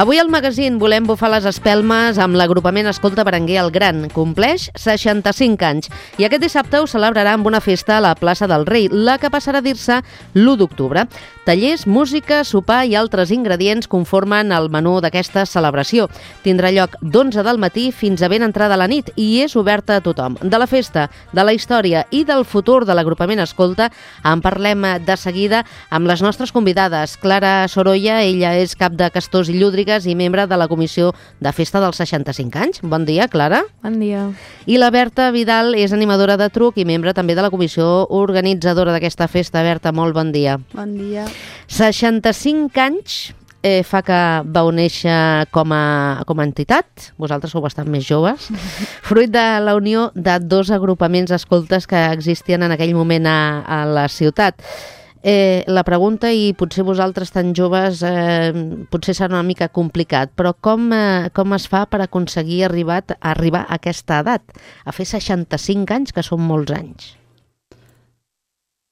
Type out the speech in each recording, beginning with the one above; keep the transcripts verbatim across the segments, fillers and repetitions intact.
Avui al magazín volem bufar les espelmes amb l'agrupament Escolta Berenguer el Gran. Compleix seixanta-cinc anys i aquest dissabte ho celebrarà amb una festa a la plaça del Rei, la que passarà a dir-se l'u d'octubre. Tallers, música, sopar i altres ingredients conformen el menú d'aquesta celebració. Tindrà lloc d'onze del matí fins a ben entrada la nit i és oberta a tothom. De la festa, de la història i del futur de l'agrupament Escolta en parlem de seguida amb les nostres convidades. Clara Sorolla, ella és cap de Castors i Llúdrigues i membre de la comissió de festa dels seixanta-cinc anys. Bon dia, Clara. Bon dia. I la Berta Vidal és animadora de truc i membre també de la comissió organitzadora d'aquesta festa. Berta, molt bon dia. Bon dia. seixanta-cinc anys eh, fa que vau néixer com a, com a entitat. Vosaltres sou bastant més joves. Fruit de la unió de dos agrupaments escoltes que existien en aquell moment a, a la ciutat. Eh, la pregunta, i potser vosaltres tan joves eh, potser serà una mica complicat, però com, eh, com es fa per aconseguir arribar, arribar a aquesta edat? A fer seixanta-cinc anys, que són molts anys.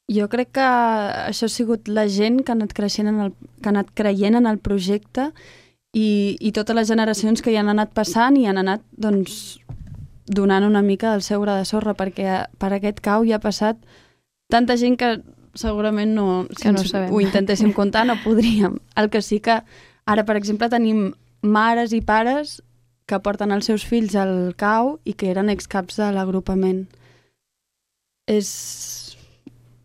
Jo crec que això ha sigut la gent que ha anat creixent en el, que ha anat creient en el projecte i, i totes les generacions que hi han anat passant i han anat doncs, donant una mica del seu gra de sorra, perquè per aquest cau hi ha passat tanta gent que segurament no, si no ho intentéssim comptar, no podríem. El que sí que ara, per exemple, tenim mares i pares que porten els seus fills al cau i que eren excaps de l'agrupament. És...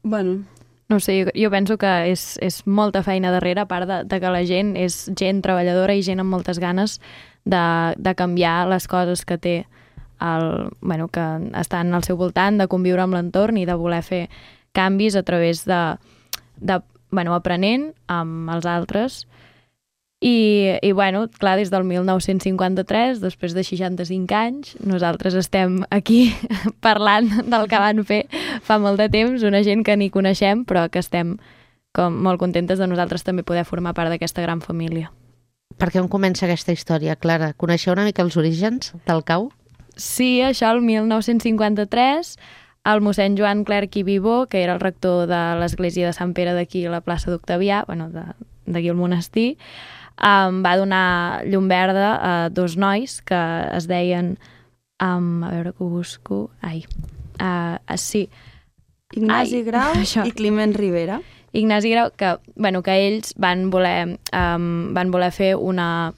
bueno... No sé, jo, jo penso que és, és molta feina darrere, a part de, de que la gent és gent treballadora i gent amb moltes ganes de, de canviar les coses que té, el, bueno, que estan al seu voltant, de conviure amb l'entorn i de voler fer canvis a través de, de bueno, aprenent amb els altres. I, i bueno, clar, des del mil nou-cents cinquanta-tres, després de seixanta-cinc anys, nosaltres estem aquí parlant del que van fer fa molt de temps, una gent que ni coneixem, però que estem com molt contentes de nosaltres també poder formar part d'aquesta gran família. Per què on comença aquesta història, Clara? Coneixeu una mica els orígens del cau? Sí, això el mil nou-cents cinquanta-tres... el mossèn Joan Clerc i Vivó, que era el rector de l'església de Sant Pere d'aquí a la plaça d'Octavià, bueno, d'aquí al monestir, um, va donar llum verda a dos nois que es deien, um, a veure que ho busco, ai, uh, uh, sí. Ignasi ai, Grau això. I Climent Rivera. Ignasi Grau, que, bueno, que ells van voler, um, van voler fer una,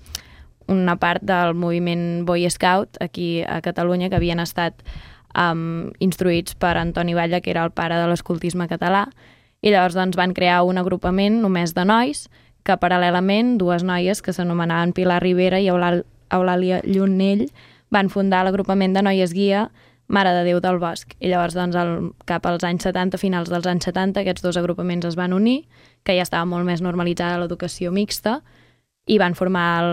una part del moviment Boy Scout aquí a Catalunya, que havien estat Um, instruïts per Antoni Batlle, que era el pare de l'escoltisme català, i llavors doncs, van crear un agrupament només de nois, que paral·lelament dues noies que s'anomenaven Pilar Rivera i Eulàlia Llunell van fundar l'agrupament de noies guia Mare de Déu del Bosc. I llavors doncs, el, cap als anys setanta, finals dels anys setanta, aquests dos agrupaments es van unir, que ja estava molt més normalitzada l'educació mixta, i van formar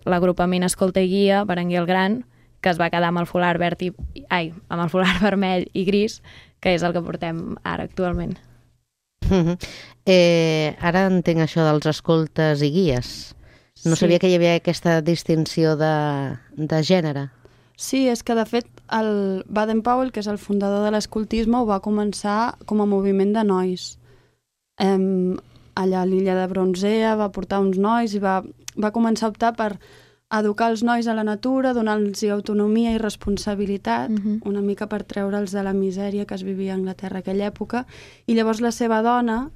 l'agrupament Escolta i Guia Berenguer el Gran, que es va quedar amb el folar verd i, ai, amb el folar vermell i gris, que és el que portem ara actualment. Mm-hmm. eh, ara entenc això dels escoltes i guies. No sí. Sabia que hi havia aquesta distinció de, de gènere. Sí, és que de fet el Baden-Powell, que és el fundador de l'escoltisme, ho va començar com a moviment de nois. Eh, allà a l'illa de Bronzea va portar uns nois i va, va començar a optar per educar els nois a la natura, donar-los autonomia i responsabilitat, uh-huh. una mica per treure'ls de la misèria que es vivia a Anglaterra aquella època, i llavors la seva dona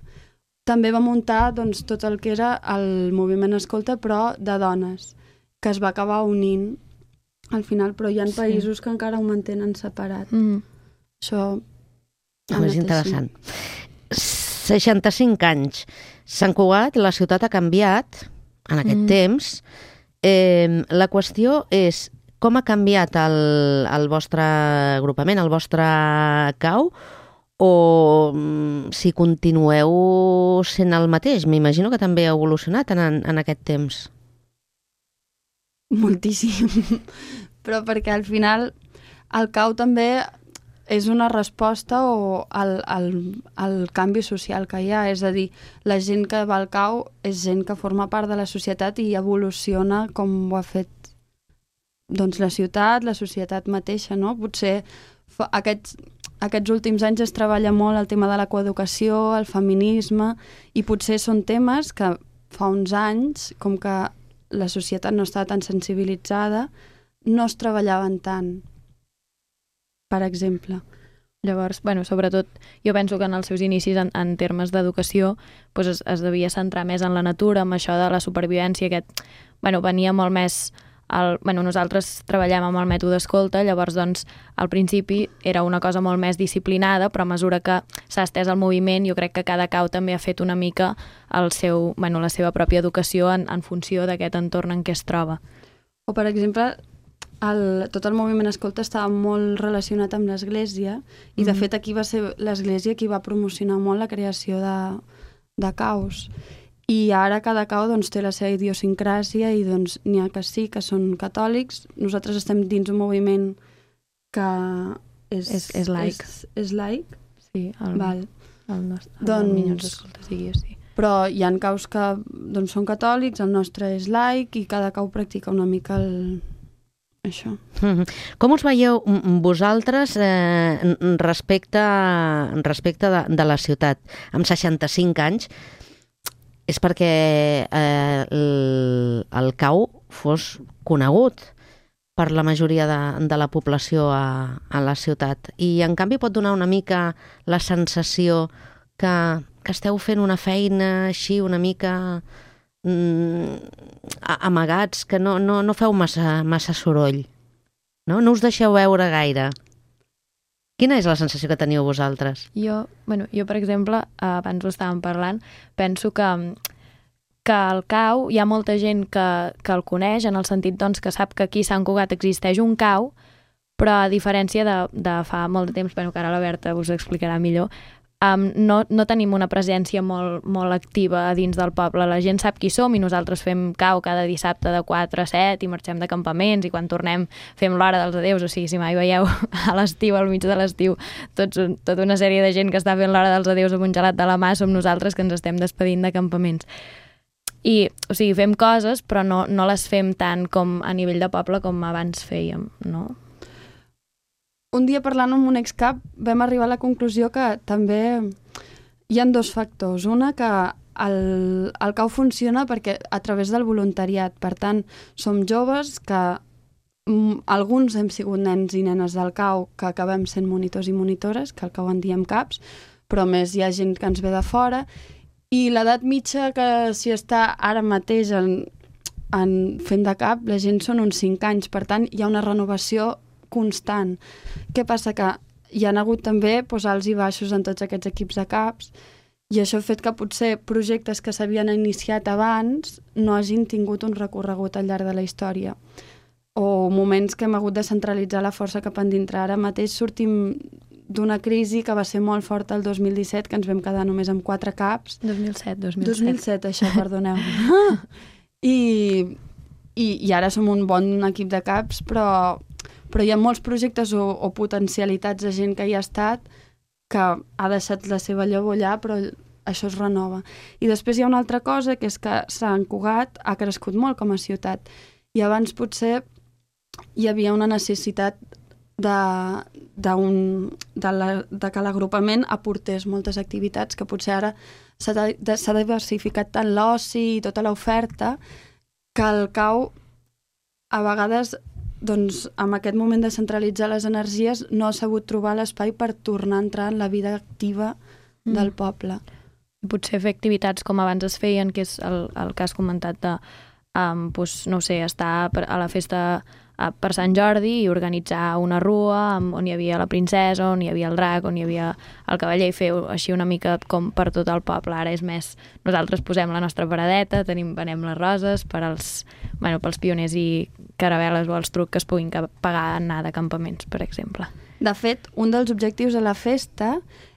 també va muntar doncs, tot el que era el moviment Escolta, però de dones, que es va acabar unint al final, però hi ha països sí. que encara ho mantenen separat. Uh-huh. Això... És interessant. seixanta-cinc anys. Sant Cugat, la ciutat ha canviat en aquest uh-huh. temps. Eh, la qüestió és com ha canviat el, el vostre agrupament, el vostre cau, o mm, si continueu sent el mateix. M'imagino que també ha evolucionat en, en aquest temps. Moltíssim. Però perquè al final el cau també és una resposta o al, al, al canvi social que hi ha. És a dir, la gent que va al cau és gent que forma part de la societat i evoluciona com ho ha fet doncs, la ciutat, la societat mateixa, no? Potser fa, aquests, aquests últims anys es treballa molt el tema de la coeducació, el feminisme, i potser són temes que fa uns anys com que la societat no estava tan sensibilitzada, no es treballaven tant, per exemple. Llavors, bueno, sobretot, jo penso que en els seus inicis en, en termes d'educació doncs es, es devia centrar més en la natura, amb això de la supervivència, aquest, bueno, venia molt més... El, bueno, nosaltres treballem amb el mètode escolta, llavors doncs al principi era una cosa molt més disciplinada, però a mesura que s'ha estès el moviment jo crec que cada cau també ha fet una mica el seu, bueno, la seva pròpia educació en, en funció d'aquest entorn en què es troba. O per exemple, el, tot el moviment escolta estava molt relacionat amb l'Església i de mm-hmm. fet aquí va ser l'Església qui va promocionar molt la creació de, de caus. I ara cada cau doncs, té la seva idiosincràsia i doncs, n'hi ha que sí, que són catòlics. Nosaltres estem dins un moviment que és, és, és laic. És, és laic. Sí, el, Val. el nostre el doncs, Minyons d'Escolta sigui així. Però hi ha caus que doncs, són catòlics, el nostre és laic i cada cau practica una mica el... això. Mm-hmm. Com us veieu vosaltres eh, respecte, respecte de, de la ciutat? Amb seixanta-cinc anys, és perquè eh, el, el cau fos conegut per la majoria de, de la població a, a la ciutat. I, en canvi, pot donar una mica la sensació que, que esteu fent una feina així una mica mm, amagats, que no, no, no feu massa, massa soroll. No? No us deixeu veure gaire. Quina és la sensació que teniu vosaltres? Jo, bueno, jo per exemple, abans ho estàvem parlant, penso que, que el cau, hi ha molta gent que, que el coneix, en el sentit doncs, que sap que aquí a Sant Cugat existeix un cau, però a diferència de, de fa molt de temps, bueno, que ara la Berta us ho explicarà millor, um, no, no tenim una presència molt, molt activa a dins del poble. La gent sap qui som i nosaltres fem cau cada dissabte de quatre a set i marxem de campaments i quan tornem fem l'hora dels adeus. O sigui, si mai veieu a l'estiu, al mig de l'estiu, tots, tota una sèrie de gent que està fent l'hora dels adeus amb un gelat de la mà som nosaltres que ens estem despedint de campaments. I, o sigui, fem coses, però no, no les fem tant com a nivell de poble com abans fèiem, no? Un dia parlant amb un excap vam arribar a la conclusió que també hi ha dos factors. Una, que el, el cau funciona perquè a través del voluntariat. Per tant, som joves que m, alguns hem sigut nens i nenes del cau que acabem sent monitors i monitores, que al cau en diem caps, però més hi ha gent que ens ve de fora. I l'edat mitja que s'hi està ara mateix en, en fent de cap, la gent són uns cinc anys. Per tant, hi ha una renovació constant. Què passa? Que hi ha hagut també doncs, alts i baixos en tots aquests equips de caps i això ha fet que potser projectes que s'havien iniciat abans no hagin tingut un recorregut al llarg de la història. O moments que hem hagut de centralitzar la força cap endintre. Ara mateix sortim d'una crisi que va ser molt forta el dos mil disset, que ens vam quedar només amb quatre caps. dos mil set, dos mil set. dos mil set, això, perdoneu. I, i, I ara som un bon equip de caps, però però hi ha molts projectes o, o potencialitats de gent que hi ha estat que ha deixat la seva llavor allà, però això es renova. I després hi ha una altra cosa, que és que Sant Cugat ha crescut molt com a ciutat. I abans potser hi havia una necessitat de, de, un, de, la, de que l'agrupament aportés moltes activitats, que potser ara s'ha diversificat tant l'oci i tota l'oferta que el cau a vegades doncs amb aquest moment de centralitzar les energies no ha sabut trobar l'espai per tornar a entrar en la vida activa mm. del poble. Potser fer activitats com abans es feien, que és el, el que has comentat de, um, doncs, no sé, estar a la festa uh, per Sant Jordi i organitzar una rua um, on hi havia la princesa, on hi havia el drac, on hi havia el cavaller, i fer així una mica com per tot el poble. Ara és més, nosaltres posem la nostra paradeta, tenim, venem les roses per als, bueno, pels pioners i caravel·les o els trucs que es puguin pagar a anar de campaments, per exemple. De fet, un dels objectius de la festa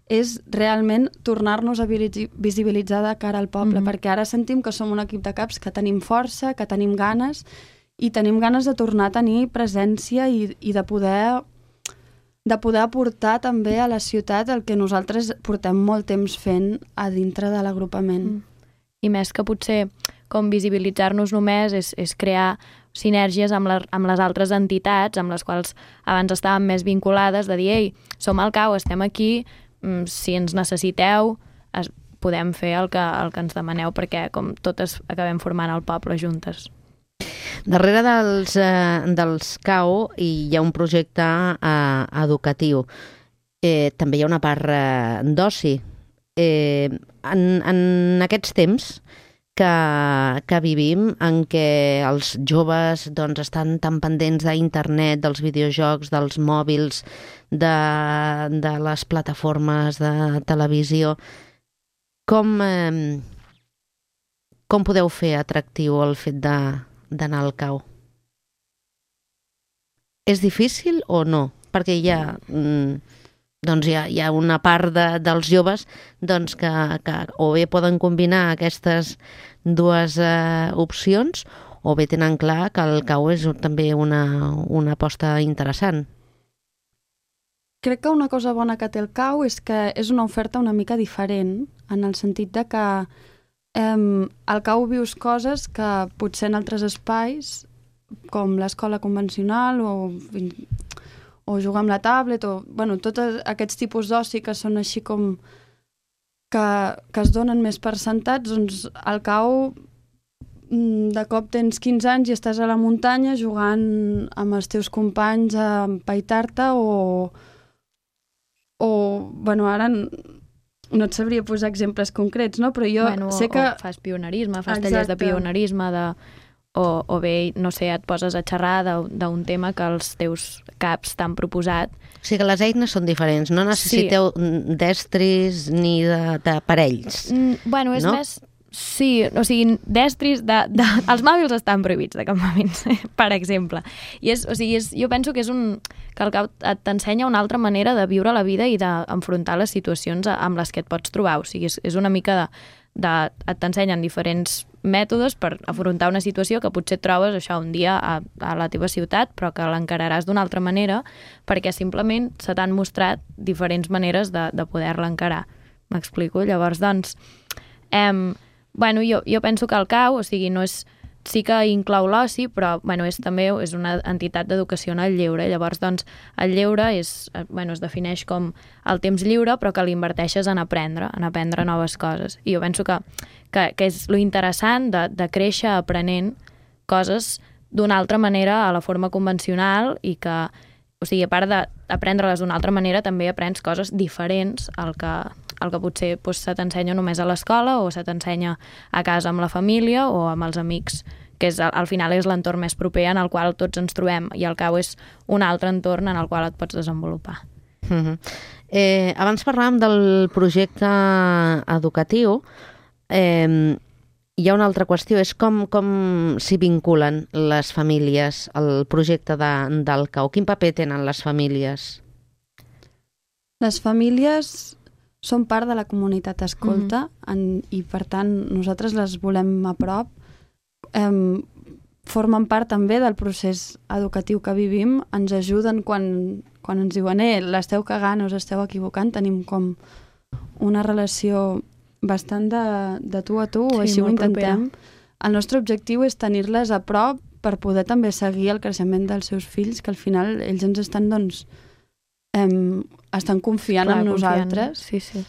és realment tornar-nos a visibilitzar de cara al poble, mm-hmm. perquè ara sentim que som un equip de caps que tenim força, que tenim ganes, i tenim ganes de tornar a tenir presència i, i de poder de poder aportar també a la ciutat el que nosaltres portem molt temps fent a dintre de l'agrupament. Mm. I més que potser com visibilitzar-nos només és, és crear sinergies amb, la, amb les altres entitats amb les quals abans estàvem més vinculades, de dir, ei, som al cau, estem aquí, si ens necessiteu es, podem fer el que, el que ens demaneu, perquè com totes acabem formant el poble juntes. Darrere dels, eh, dels C A U hi ha un projecte eh, educatiu. Eh, també hi ha una part eh, d'oci. Eh, en, en aquests temps que, que vivim, en què els joves doncs, estan tan pendents d'internet, dels videojocs, dels mòbils, de, de les plataformes de televisió, com, eh, com podeu fer atractiu el fet d'anar al C A U? És difícil o no? Perquè hi ha, doncs hi ha, hi ha una part de, dels joves doncs que, que o bé poden combinar aquestes dues eh, opcions o bé tenen clar que el C A U és també una, una aposta interessant. Crec que una cosa bona que té el C A U és que és una oferta una mica diferent, en el sentit de que eh, al C A U vius coses que potser en altres espais, com l'escola convencional o, o jugar amb la tablet, o bueno, tots aquests tipus d'oci que són així com que, que es donen més per sentats, doncs al C A U de cop tens quinze anys i estàs a la muntanya jugant amb els teus companys a empaitar-te o o, bueno, ara no et sabria posar exemples concrets, no? Però jo bueno, sé que... O fas pionerisme, fas Exacte. tallers de pionerisme, de... O, o bé, no sé, et poses a xerrar d'un tema que els teus caps t'han proposat. O sigui que les eines són diferents, no necessiteu sí. d'estris ni de, de parells. Mm, bueno, és no? més... Sí, o sigui, d'estris... De, de, els mòbils estan prohibits de campaments, per exemple. I és, o sigui, és, jo penso que és un... que el C A U t'ensenya una altra manera de viure la vida i d'enfrontar les situacions amb les que et pots trobar. O sigui, és, és una mica de... de et t'ensenyen diferents mètodes per afrontar una situació que potser et trobes això un dia a, a la teva ciutat, però que l'encararàs d'una altra manera perquè simplement se t'han mostrat diferents maneres de, de poder-la encarar. M'explico? Llavors, doncs... Em, Bueno, jo, jo penso que el C A U, o sigui, no és, sí que inclou l'oci, però bueno, és també és una entitat d'educació en el lleure. Llavors, doncs, el lleure és, bueno, es defineix com el temps lliure, però que l'inverteixes en aprendre, en aprendre noves coses. I jo penso que, que, que és lo interessant de, de créixer aprenent coses d'una altra manera a la forma convencional i que, o sigui, a part d'aprendre-les d'una altra manera, també aprens coses diferents al que... el que potser doncs, se t'ensenya només a l'escola o se t'ensenya a casa amb la família o amb els amics, que és, al final és l'entorn més proper en el qual tots ens trobem, i el C A U és un altre entorn en el qual et pots desenvolupar. Mm-hmm. eh, abans parlàvem del projecte educatiu. Eh, hi ha una altra qüestió, és com, com s'hi vinculen les famílies al projecte de, del C A U. Quin paper tenen les famílies? Les famílies són part de la comunitat escolta mm-hmm. en, i, per tant, nosaltres les volem a prop. Eh, formen part també del procés educatiu que vivim, ens ajuden quan, quan ens diuen eh, l'esteu cagant, us esteu equivocant, tenim com una relació bastant de, de tu a tu, sí, o així ho intentem. Propera. El nostre objectiu és tenir-les a prop per poder també seguir el creixement dels seus fills, que al final ells ens estan, doncs, Um, estan confiant Clar, en nosaltres. Sí, sí.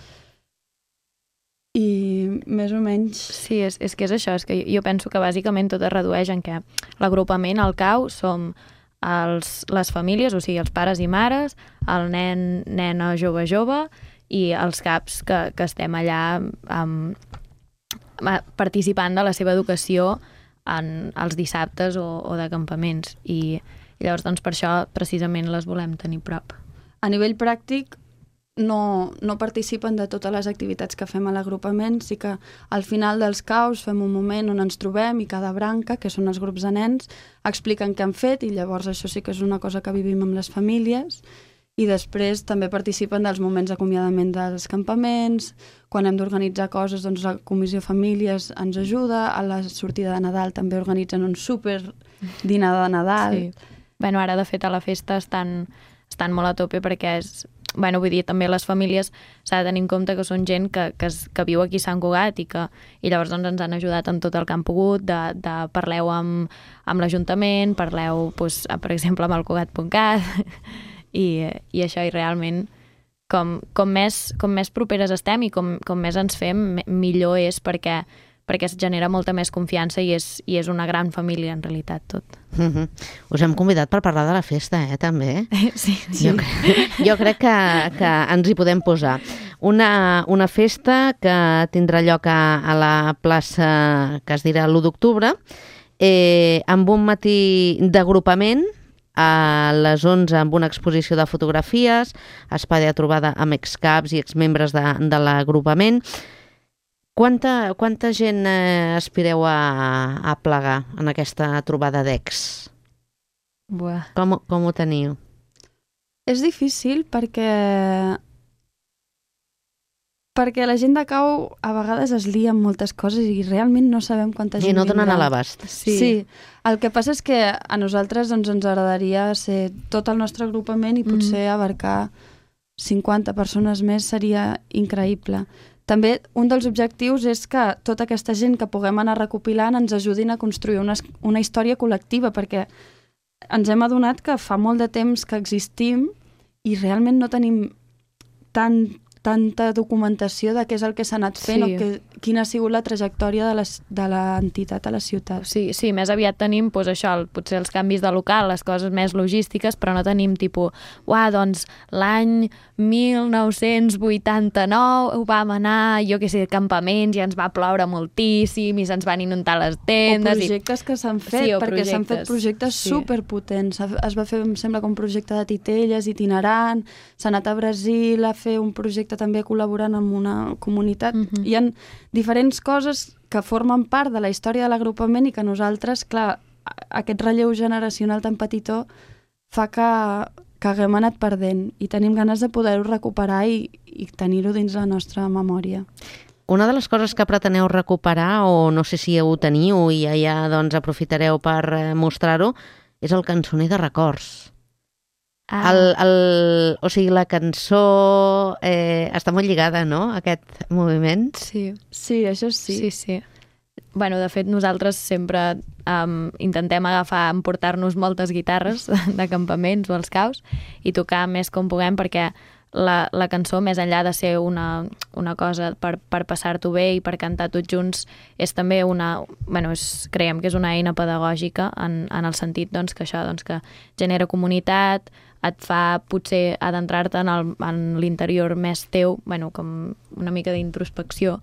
I més o menys... Sí, és, és que és això, és que jo penso que bàsicament tot es redueix en què l'agrupament al C A U som els, les famílies, o sigui, els pares i mares, el nen, nena, jove, jove, i els caps que, que estem allà um, participant de la seva educació en els dissabtes o, o de campaments. I, i llavors, doncs, per això precisament les volem tenir prop. A nivell pràctic, no, no participen de totes les activitats que fem a l'agrupament, sí que al final dels C A Us fem un moment on ens trobem i cada branca, que són els grups de nens, expliquen què han fet i llavors això sí que és una cosa que vivim amb les famílies, i després també participen dels moments d'acomiadament dels campaments, quan hem d'organitzar coses, doncs la Comissió Famílies ens ajuda, a la sortida de Nadal també organitzen un súper dinar de Nadal. Sí. Bueno, ara de fet a la festa estan... estan molt a tope perquè és... Bueno, vull dir, també les famílies s'ha de tenir en compte que són gent que, que, que viu aquí a Sant Cugat i que i llavors doncs, ens han ajudat en tot el que han pogut, de, de parleu amb, amb l'Ajuntament, parleu, doncs, per exemple, amb el Cugat punt cat i, i això, i realment com, com, més, com més properes estem i com, com més ens fem, millor és perquè perquè es genera molta més confiança i és, i és una gran família, en realitat, tot. Mm-hmm. Us hem convidat per parlar de la festa, eh, també? Sí, sí. Jo, jo crec que, que ens hi podem posar. Una, una festa que tindrà lloc a, a la plaça que es dirà l'u d'octubre, eh, amb un matí d'agrupament, a les onze amb una exposició de fotografies, espai de trobada amb excaps i exmembres de, de l'agrupament. Quanta, quanta gent eh, aspireu a, a plegar en aquesta trobada d'ex? Buah. Com, com ho teniu? És difícil perquè perquè la gent de Cau a vegades es lia amb moltes coses i realment no sabem quanta gent I no donen vindrà. a l'abast. Sí. sí, el que passa és que a nosaltres doncs, ens agradaria ser tot el nostre agrupament i potser mm. abarcar cinquanta persones més seria increïble. També un dels objectius és que tota aquesta gent que puguem anar recopilant ens ajudin a construir una, una història col·lectiva, perquè ens hem adonat que fa molt de temps que existim i realment no tenim tant tanta documentació de què és el que s'ha anat fent sí. o que, quina ha sigut la trajectòria de l'entitat a la ciutat. Sí, sí, més aviat tenim doncs, això, el, potser els canvis de local, les coses més logístiques, però no tenim tipus, uah, doncs l'any mil nou-cents vuitanta-nou ho vam anar, jo què sé, campaments i ens va ploure moltíssim i se'ns van inundar les tendes. O projectes i... que s'han fet, sí, perquè s'han fet projectes sí. superpotents. Es va fer, em sembla, com un projecte de titelles itinerant, s'ha anat a Brasil a fer un projecte també col·laborant amb una comunitat. Uh-huh. Hi ha diferents coses que formen part de la història de l'agrupament i que nosaltres, clar, aquest relleu generacional tan petitó fa que, que haguem anat perdent i tenim ganes de poder-ho recuperar i, i tenir-ho dins la nostra memòria. Una de les coses que preteneu recuperar, o no sé si ho teniu i ja, ja doncs, aprofitareu per mostrar-ho, és el cançoner de records. Ah. El, el, o sigui, la cançó eh, està molt lligada, no?, a aquest moviment. Sí, sí, això sí. Sí, sí. Bueno, de fet, nosaltres sempre um, intentem agafar, emportar-nos moltes guitarres de campaments o als caus i tocar més com puguem, perquè la, la cançó, més enllà de ser una, una cosa per, per passar-t'ho bé i per cantar tots junts, és també una... Bueno, és, creiem que és una eina pedagògica en, en el sentit doncs, que això doncs, que genera comunitat, et fa potser adentrar-te en, el, en l'interior més teu, bueno, com una mica d'introspecció.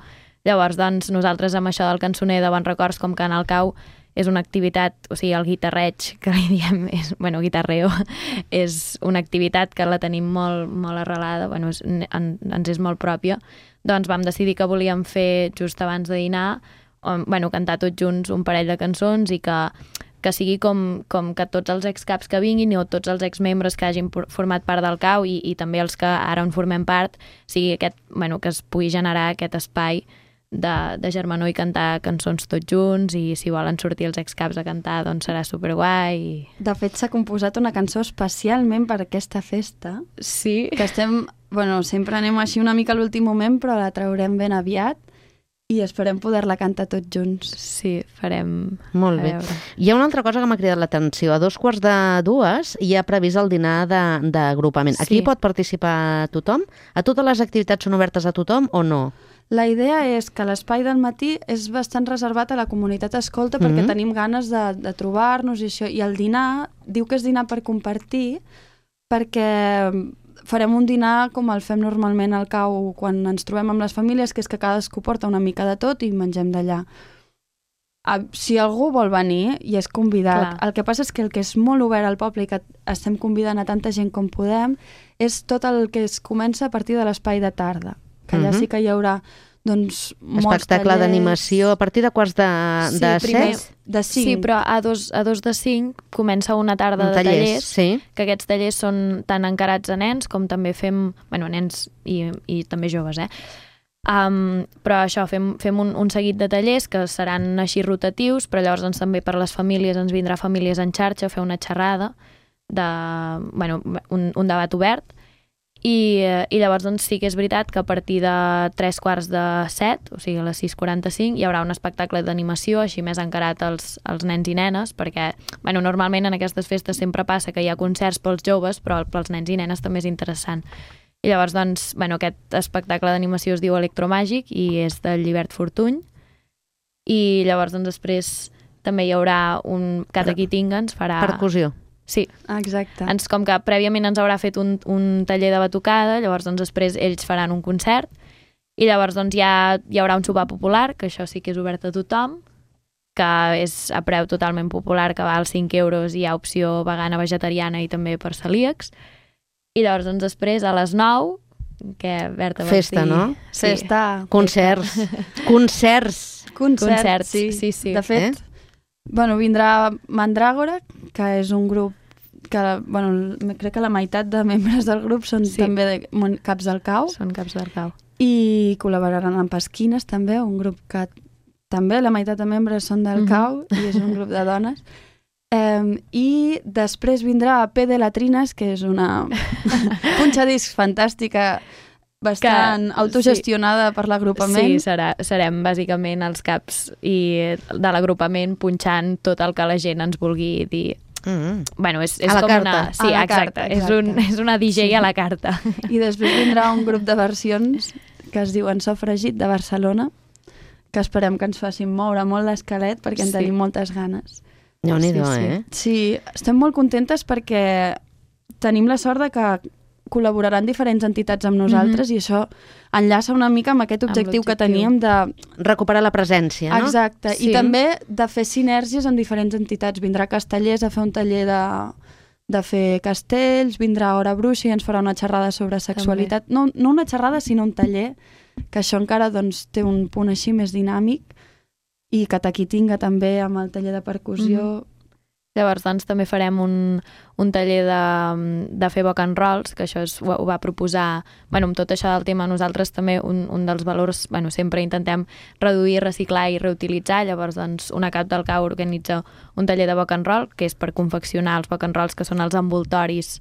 Llavors, doncs, nosaltres amb això del cançoner de bons records, com que en el cau és una activitat, o sigui, el guitarreig, que li diem, és, bueno, guitarreo, és una activitat que la tenim molt, molt arrelada, bueno, és, en, ens és molt pròpia, doncs vam decidir que volíem fer just abans de dinar, on, bueno, cantar tots junts un parell de cançons i que que sigui com, com que tots els excaps que vinguin o tots els exmembres que hagin format part del cau i, i també els que ara en formem part, sigui aquest, bueno, que es pugui generar aquest espai de, de germanor i cantar cançons tots junts, i si volen sortir els excaps a cantar, doncs serà superguai. I... De fet, s'ha composat una cançó especialment per aquesta festa. Sí. Que estem, bueno, sempre anem així una mica a l'últim moment, però la traurem ben aviat. I esperem poder-la cantar tots junts. Sí, farem... Molt bé. Hi ha una altra cosa que m'ha cridat l'atenció. A dos quarts de dues hi ha previst el dinar d'agrupament. Sí. Aquí pot participar tothom? A totes les activitats són obertes a tothom o no? La idea és que l'espai del matí és bastant reservat a la comunitat escolta perquè mm-hmm. tenim ganes de, de trobar-nos i això. I el dinar, diu que és dinar per compartir, perquè... farem un dinar com el fem normalment al cau quan ens trobem amb les famílies, que és que cadascú porta una mica de tot i mengem d'allà. Si algú vol venir i és convidat, clar. El que passa és que el que és molt obert al poble i que estem convidant a tanta gent com podem és tot el que es comença a partir de l'espai de tarda, que allà uh-huh. sí que hi haurà doncs, molts espectacle d'animació a partir de quarts de, sí, de primer, set? De cinc. Sí, però a dos, a dos de cinc comença una tarda de tallers, tallers sí. que aquests tallers són tant encarats a nens com també fem, bueno, nens i, i també joves, eh? Um, però això, fem, fem un, un seguit de tallers que seran així rotatius, però llavors doncs, també per les famílies ens vindrà Famílies en xarxa a fer una xerrada, de, bueno, un, un debat obert. I, i llavors doncs, sí que és veritat que a partir de tres quarts de set, o sigui a les sis quaranta-cinc, hi haurà un espectacle d'animació així més encarat als, als nens i nenes, perquè bueno, normalment en aquestes festes sempre passa que hi ha concerts pels joves, però pels nens i nenes també és interessant. I llavors doncs, bueno, aquest espectacle d'animació es diu Electromàgic i és del Llibert Fortuny. i llavors doncs, després també hi haurà un Kataki Tinga, ens farà... Percussió. Sí. Exacte. Ens, com que prèviament ens haurà fet un, un taller de batucada, llavors doncs, després ells faran un concert i llavors doncs, ja hi haurà un sopar popular, que això sí que és obert a tothom, que és a preu totalment popular, que val cinc euros i hi ha opció vegana, vegetariana i també per celíacs. I llavors doncs, després a les nou, que Berta vols Festa, dir... no? Sí. Festa. Concerts. Concerts. Concerts, Concerts, sí. sí, sí. De fet, eh? bueno, vindrà Mandràgora, que és un grup que, bueno, crec que la meitat de membres del grup són Sí. també de caps del cau. Són caps del cau. I col·laboraran amb Pesquines, també, un grup que també la meitat de membres són del Mhm. cau i és un grup de dones. Um, I després vindrà P de Latrines, que és una punxadiscs fantàstica, bastant Que- autogestionada per l'agrupament. Sí, serà, serem bàsicament els caps i de l'agrupament punxant tot el que la gent ens vulgui dir. Mm. Bueno, és, és A la com carta. una... Sí, A la exacte. carta, És, un, exacte. és una D J Sí. a la carta. I després vindrà un grup de versions que es diuen Sofregit, de Barcelona, que esperem que ens facin moure molt l'esquelet perquè en Sí. tenim moltes ganes. Déu-n'hi-do, Sí, sí. eh? Sí, estem molt contentes perquè tenim la sort de que col·laboraran diferents entitats amb nosaltres, mm-hmm. i això enllaça una mica amb aquest Amb objectiu que l'objectiu. teníem de... Recuperar la presència, no? Exacte, Sí. i també de fer sinergies amb diferents entitats. Vindrà Castellers a fer un taller de, de fer castells, vindrà Hora Bruixa i ens farà una xerrada sobre sexualitat. No, no una xerrada, sinó un taller, que això encara doncs, té un punt així més dinàmic, i Kataki Tinga també amb el taller de percussió. Mm-hmm. Llavors, doncs, també farem un, un taller de, de fer boc and rolls, que això és, ho, ho va proposar... Bueno, amb tot això del tema, nosaltres també un, un dels valors... Bueno, sempre intentem reduir, reciclar i reutilitzar. Llavors, doncs, una cap del cau organitza un taller de boc and roll, que és per confeccionar els boc and rolls, que són els envoltoris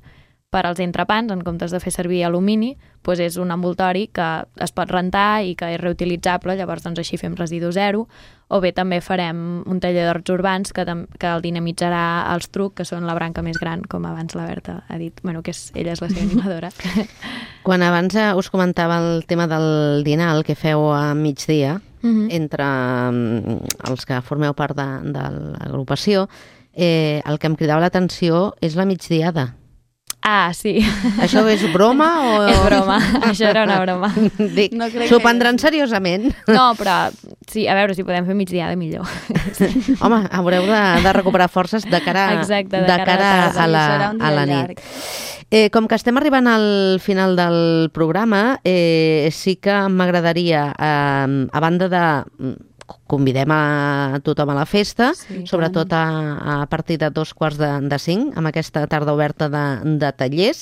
per als entrepans, en comptes de fer servir alumini, doncs és un envoltori que es pot rentar i que és reutilitzable, llavors doncs així fem residu zero. O bé també farem un taller d'horts urbans que, que el dinamitzarà els Truc, que són la branca més gran, com abans la Berta ha dit, bueno, que és, ella és la seva animadora. Quan abans eh, us comentava el tema del dinar, el que feu a migdia, Mm-hmm. entre mm, els que formeu part de, de l'agrupació, eh, el que em cridava l'atenció és la migdiada. Ah, sí. Això és broma o...? És broma, això era una broma. Dic, No crec s'ho que- prendran seriosament. No, però sí, a veure si podem fer migdiada millor. Home, haureu de, de recuperar forces de cara, Exacte, de de cara a cara la a, tarda. la, Serà un dia a la llarg. nit. Eh, com que estem arribant al final del programa, eh, sí que m'agradaria, eh, a banda de... Convidem a tothom a la festa, Sí, sobretot a, a partir de dos quarts de, de cinc, amb aquesta tarda oberta de, de tallers,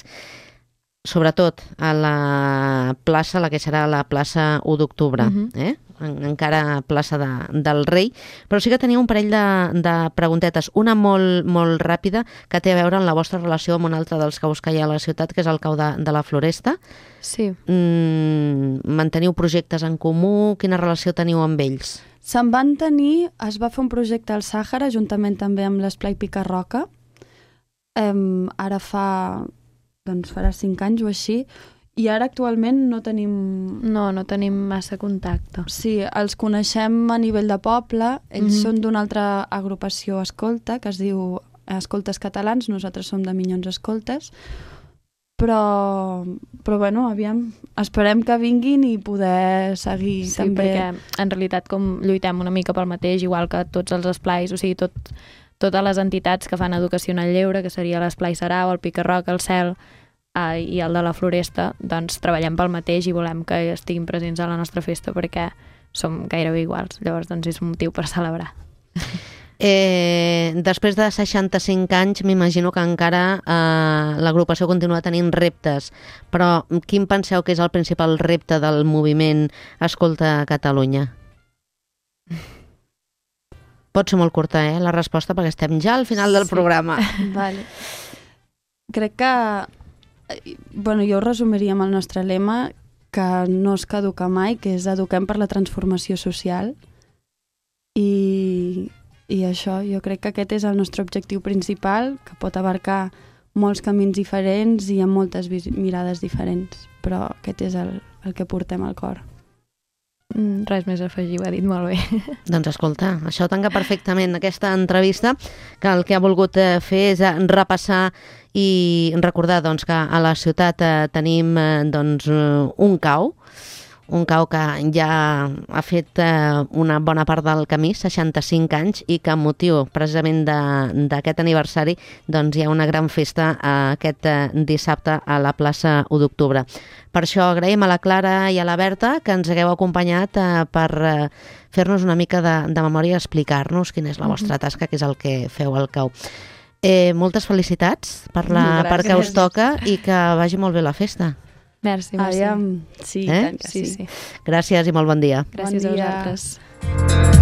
sobretot a la plaça, la que serà la plaça u d'octubre, Mhm. eh? En, encara plaça de, del Rei, però sí que tenia un parell de, de preguntetes, una molt, molt ràpida que té a veure amb la vostra relació amb un altre dels caus que hi ha a la ciutat, que és el cau de, de la Floresta. Sí. Mm, manteniu projectes en comú? Quina relació teniu amb ells? Se'n van tenir, es va fer un projecte al Sàhara, juntament també amb l'Esplai Picarroca. Um, ara fa, doncs farà cinc anys o així, i ara actualment no tenim... No, no tenim massa contacte. Sí, els coneixem a nivell de poble, ells Mhm. són d'una altra agrupació escolta, que es diu Escoltes Catalans, nosaltres som de Minyons Escoltes, però, però bueno, aviam, esperem que vinguin i poder seguir Sí, també... perquè en realitat com lluitem una mica pel mateix, igual que tots els esplais, o sigui, tot, totes les entitats que fan educació en el lleure, que seria l'Esplai Sarau, el Picarroc, el Cel eh, i el de la Floresta, doncs treballem pel mateix i volem que estiguin presents a la nostra festa perquè som gairebé iguals. Llavors, doncs és un motiu per celebrar. Eh, després de seixanta-cinc anys, m'imagino que encara eh, l'agrupació continua tenint reptes, però quin penseu que és el principal repte del moviment Escolta Catalunya? Pot ser molt curta, eh, la resposta, perquè estem ja al final del Sí. programa. Vale. Crec que, eh, bueno, jo ho resumiria amb el nostre lema, que no es caduca mai, que és eduquem per la transformació social. I, i això, jo crec que aquest és el nostre objectiu principal, que pot abarcar molts camins diferents i amb moltes vis- mirades diferents, però aquest és el, el que portem al cor. res més a afegir, ho ha dit molt bé. Doncs escolta, això tanca perfectament aquesta entrevista, que el que ha volgut fer és repassar i recordar doncs, que a la ciutat tenim doncs, un cau, un cau que ja ha fet una bona part del camí, seixanta-cinc anys, i que amb motiu precisament d'aquest aniversari doncs, hi ha una gran festa aquest dissabte a la plaça u d'octubre. Per això agraïm a la Clara i a la Berta que ens hagueu acompanyat per fer-nos una mica de, de memòria i explicar-nos quina és la vostra tasca, que és el que feu al cau. Eh, moltes felicitats per la Gràcies. part que us toca i que vagi molt bé la festa. Merci, merci. Aviam. Sí, eh? tant que sí. sí, sí. Gràcies i molt bon dia. Gràcies bon dia. a vosaltres.